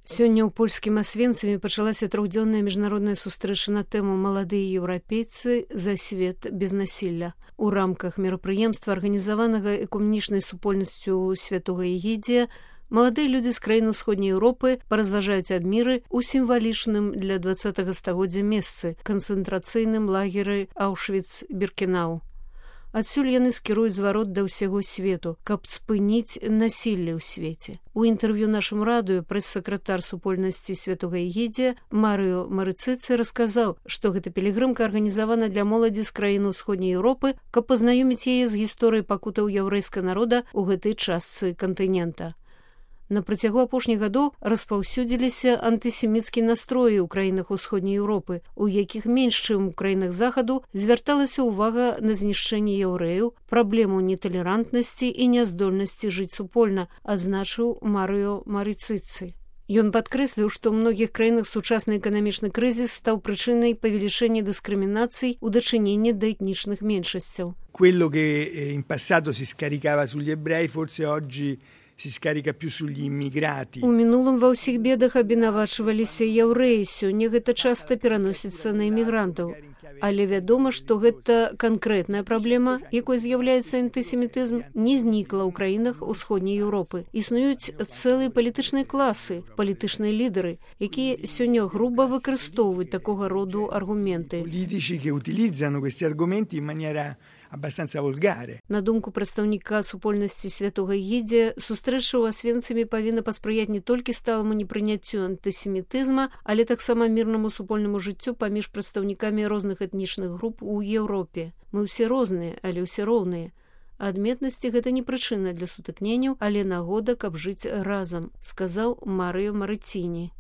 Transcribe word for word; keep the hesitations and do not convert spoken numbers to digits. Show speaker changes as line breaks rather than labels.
Сёння ў польскім Асвенцымі пачалася трохдзённая міжнародная сустрэча на тэму «Маладыя еўрапейцы за свет без насілля». У рамках мерапрыемства, арганізаванага экуменічнай супольнасцю Святога Егідзія, маладыя людзі з краін усходняй Еўропы паразважаюць аб міры ў сімвалічным для дваццатага стагоддзя месцы – канцэнтрацыйным лагеры Аўшвіц-Біркенау. Адсюль яны скіруюць зварот да ўсяго свету, каб спыніць насілле ў свеце. У інтэрв'ю нашаму радыё прэс-сакратар супольнасці Святога Егідзія Марыё Марыцыцы расказаў, што гэта пілігрымка арганізавана для моладзі з краін усходняй Еўропы, каб пазнаёміць яе з гісторыяй пакутаў яўрэйскага народа ў гэтай частцы кантынента. На працягу апошніх гадоў распаўсюдзіліся антысеміцкія настроі ў краінах усходняй Еўропы, у якіх менш, чым у краінах захаду, звярталася ўвага на знішчэнне яўрэяў, праблему неталерантнасці і няздольнасці жыць супольна, адзначыў Марыё Марыцыцы. Ён падкрэсліў, што ў многіх краінах сучасны эканамічны крызіс стаў прычынай павелічэння дыскрымінацый у дачыненні да этнічных меншасцяў.
Quello che in passato si scaricava sugli ebrei forse oggi si scarica più sugli immigrati.
У мінулым ва ўсіх бедах абвінавачваліся яўрэі, сёння гэта часта пераносіцца на імігрантаў. Але вядома, што гэта канкрэтная праблема, якой з'яўляецца антысемітызм, не знікла ў краінах усходняй Еўропы. Існуюць цэлыя палітычныя класы, палітычныя лідары, якія сёння груба выкарыстоўваюць такога роду аргументы.
Politici che utilizzano questi argomenti in maniera abbastanza volgare.
На думку прадстаўніка супольнасці Святога Егідзія, сустрэча ў Асвенцымі павінна паспрыяць не толькі сталаму непрыняццю антысемітызма, але таксама мірнаму супольнаму жыццю паміж прадстаўнікамі розных этнічных груп у Еўропе. Мы ўсе розныя, але ўсе роўныя. Адметнасці гэта не прычына для сутыкненняў, але нагода, каб жыць разам, сказаў Марыё Марыціні.